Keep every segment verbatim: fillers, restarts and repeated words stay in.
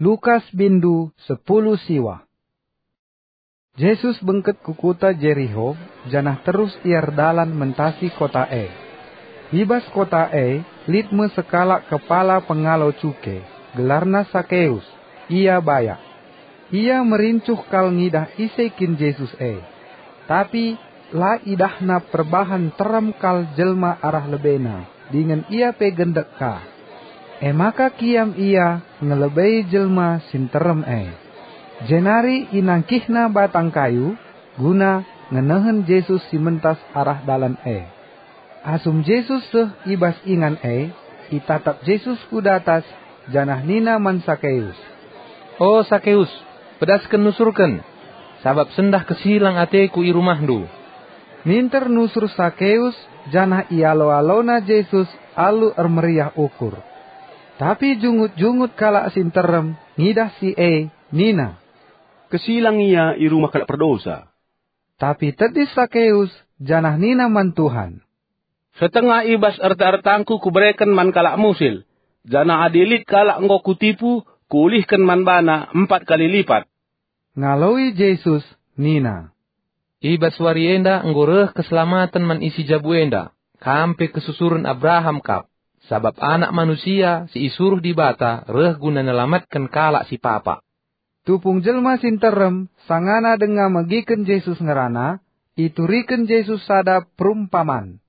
Lukas bindu sepuluh siwah. Jesus bengket ku kuta Jeriho, janah terus ia erdalan mentasi kota e. I bas kota e lit me sekalak kepala pengalo cuke, gelarna Sakeus. Ia bayak. Ia merincuh kal ngidah ise kin Jesus e. Tapi la idahna perbahan nterem kal jelma arah lebena, dingen ia pe gendek ka. E maka kiam ia ngelebei jelma si nterem e. Jenari inangkihna batang kayu guna ngenehen Jesus si mentas arah dalan e. Asum Jesus seh i bas ingan e, itatap Jesus ku datas, janah nina man Sakeus, "O Sakeus, pedasken nusurken, sabap sendah kesilang ateku i rumahndu." Minter nusur Sakeus, janah ialo-alona Jesus alu ermeriah ukur. Tapi jungut-jungut kalak si nterem ngidah si e, nina, "Kesilang ia i rumah kalak perdosa." Tapi tedis Sakeus, janah nina man Tuhan, "Setengah i bas erta-ertangku kubereken man kalak musil, janah adi lit kalak enggo kutipu, kuulihken man bana empat kali lipat." Ngaloi Jesus nina, "I bas wari enda enggo reh keselamaten man isi jabu enda, kam pe kesusuren Abraham kap, sabap Anak Manusia si isuruh Dibata reh guna nelamatken kalak si papa." Tupung jelma si nterem sangana denga megiken Jesus ngerana, ituriken Jesus sada perumpaman.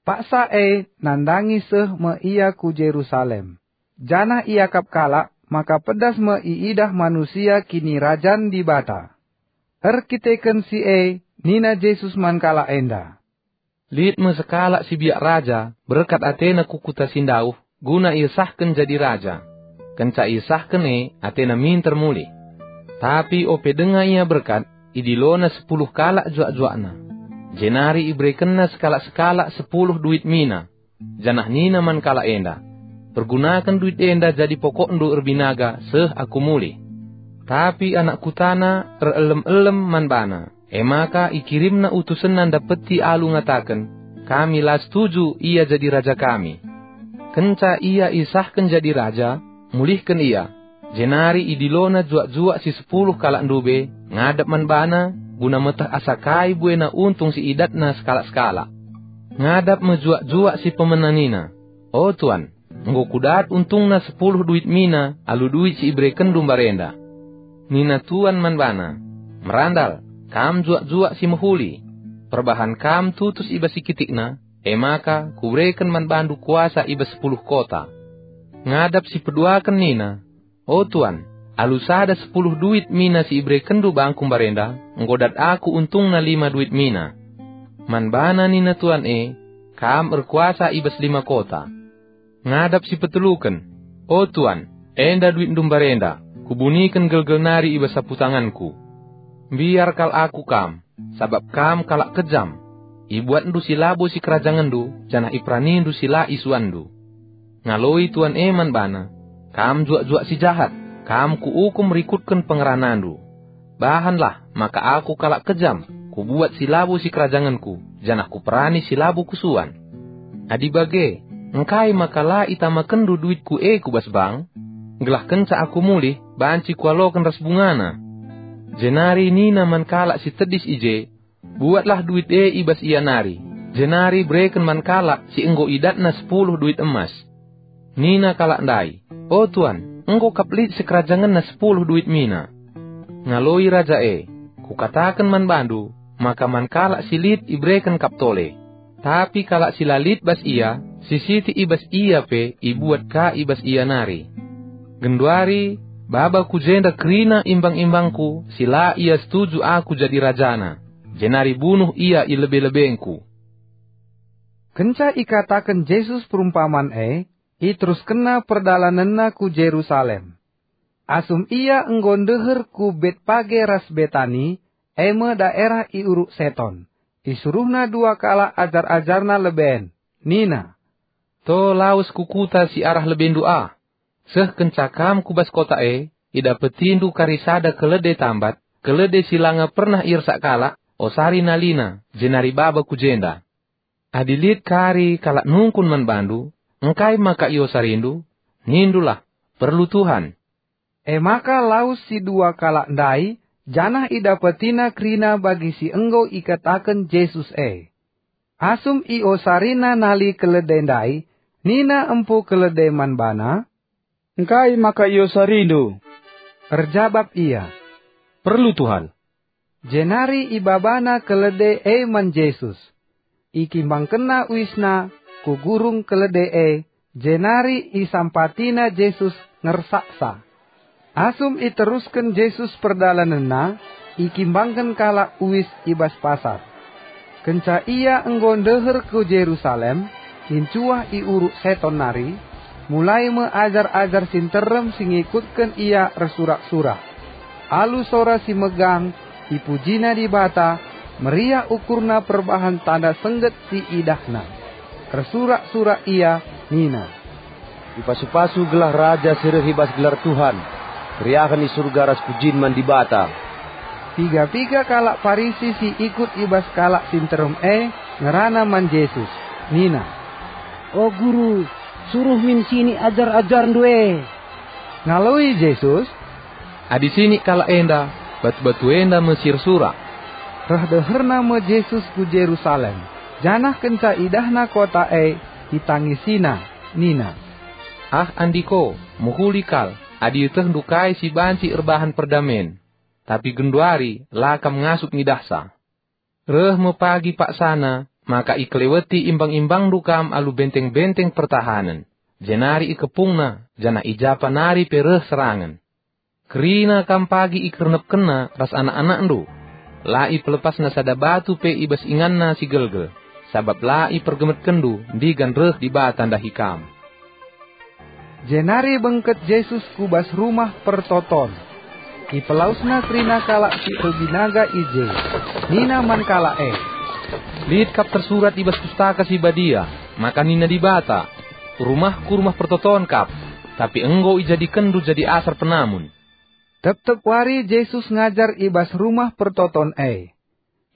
Paksa e nandangi seh me ia ku Jerusalem, janah iakap kalak maka pedas me iidah manusia Kinirajan Dibata. Erkiteken si e nina Jesus man kalak enda, "Lit me sekalak si biak raja, berkat atena ku kuta si ndauh, guna iesahken jadi raja. Kenca iesahken e, atena minter mulih. Tapi ope denga ia berkat, idilona sepuluh kalak juak-juakna. Jenari iberekenna sekalak-sekalak sepuluh duit mina, janah nina man kalak enda, 'Pergunaken duit enda jadi pokokndu erbinaga seh aku mulih.' Tapi anak kutana erelem-elem man bana. E maka ikirimna utusenna ndapeti alu ngataken, 'Kami la setuju ia jadi raja kami.' Kenca ia isahken jadi raja, mulihken ia, jenari idilona juak-juak si sepuluh kalak ndube ngadap man bana, guna meteh asa kai buena untung si idatna sekalak-sekalak. Ngadap me juak-juak si pemena nina, 'O tuan, enggo kudat untungna sepuluh duit mina alu duit si iberekenndu mbarenda.' Nina tuan man bana, 'Merandal, kam juak-juak si mehuli! Perbahan kam tutus i bas si kitikna, e maka kubereken man bandu kuasa i bas sepuluh kota.' Ngadap si peduaken nina, 'O tuan, alu sada sepuluh duit mina si iberekenndu bangku mbarenda, enggo dat aku untungna lima duit mina.' Man bana nina tuan e, 'Kam erkuasa i bas lima kota.' Ngadap si peteluken, 'O tuan, enda duitndu mbarenda, kubuniken gelgel nari i bas sapu tanganku. Mbiar kal aku kam, sabap kam kalak kejam. Ibuatndu si labo sikerajangenndu, janah iperanindu si la isuanndu.' Ngaloi tuan e man bana, 'Kam juak-juak si jahat, kam kuukum rikutken pengeranandu. Bahanlah maka aku kalak kejam, kubuat si labo sikerajangenku, janah kuperani si labo kusuan. Adi bage, engkai maka la itamakenndu duitku e ku bas bank? Gelah kenca aku mulih, banci kualoken ras bungana.' Jenari nina man kalak si tedis i je, 'Buatlah duit e i bas ia nari, jenari bereken man kalak si enggo idatna sepuluh duit emas.' Nina kalak ndai, 'O tuan, enggo kap lit sikerajangenna sepuluh duit mina.' Ngaloi raja e, 'Kukataken man bandu, maka man kalak si lit ibereken kap tole, tapi kalak si la lit bas ia, si sitik i bas ia pe ibuat ka i bas ia nari. Genduari, baba ku jenda kerina imbang-imbangku si la ia setuju aku jadi rajana, jenari bunuh ia i lebe-lebengku.'" Kenca ikataken Jesus perumpaman e, iteruskenna perdalanenna ku Jerusalem. Asum ia enggo ndeher ku Betpage ras Betani, e me daerah i Uruk Seton, isuruhna dua kalak ajar-ajarna leben, nina, "To lawes ku kuta si arah lebendu ah. Seh kenca kam ku bas kota e, idapetindu kari sada kelede tambat, kelede si langa pernah iersak kalak, osari nalina, jenari baba ku jenda. Adi lit kari kalak nungkun man bandu, 'Engkai maka iosarindu?' nindulah, 'Perlu Tuhan.'" E maka lawes si dua kalak ndai, janah idapetina kerina bagi si enggo ikataken Jesus e. Asum iosarina nali kelede ndai, nina empu kelede man bana, "Engkai maka iosarindu?" Erjabap ia, "Perlu, Tuhan." Jenari ibabana kelede e man Jesus. Ikimbangkenna uisna ku gurung kelede e, jenari isampatina Jesus ngersaksa. Asum iterusken Jesus perdalanenNa, ikimbangken kalak uis i bas pasar. Kenca Ia enggo ndeher ku Jerusalem, incuah i uruk Seton nari, mulai me ajar-ajar si nterem si ngikutken Ia ersurak-surak. Alu sora si megang, ipujina Dibata, meriah ukurna perbahan tanda sengget si idahna. Ersurak-surak ia nina, "Ipasu-pasu gelah Raja si reh i bas gelar Tuhan, keriahen i Surga ras pujin man Dibata." Piga-piga kalak Parisi si ikut i bas kalak si nterem e ngerana man Jesus, nina, "O Guru, suruh min sinik ajar-ajarNdu e." Ngaloi Jesus, "Adi sinik kalak enda, batu-batu enda me si ersurak." Reh deherna me Jesus ku Jerusalem, janah kenca idahna kota e, itangisina, nina, "Ah, Andiko, mehuli kal, adi ietehndu kai si banci erbahan perdamen, tapi genduari la kam ngasup ngidahsa. Reh me pagi paksana maka ikeleweti imbang-imbangNdu kam alu benteng-benteng pertahanen, jenari ikepungna, janah i ja pa nari pe reh serangen. Kerina kam pagi ikernepkenna ras anak-anakNdu. La ipelepasna sada batu pe i bas inganna si gelgel, sabap la ipergemekkenNdu ndigan reh Dibata ndahi kam." Jenari bengket Jesus ku bas Rumah Pertoton. IpelawesNa kerina kalak si erbinaga i je. Nina man kalak e, "Lit kap tersurat i bas Pustaka Si Badia, maka nina Dibata, 'RumahKu rumah pertoton kap,' tapi enggo ijadikenndu jadi asar penamun." Tep-tep wari Jesus ngajar i bas Rumah Pertoton e.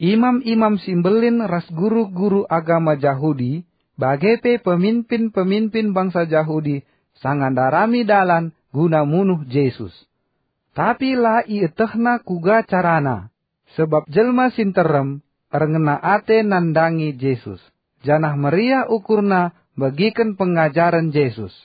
Imam-imam si mbelin ras guru-guru agama Jahudi, bage pe peminpin-peminpin bangsa Jahudi sanga ndarami dalan guna munuh Jesus. Tapi la ietehna kuga carana, sebab jelma si nterem erngena ate nandangi Jesus, janah meriah ukurna begiken pengajaren Jesus.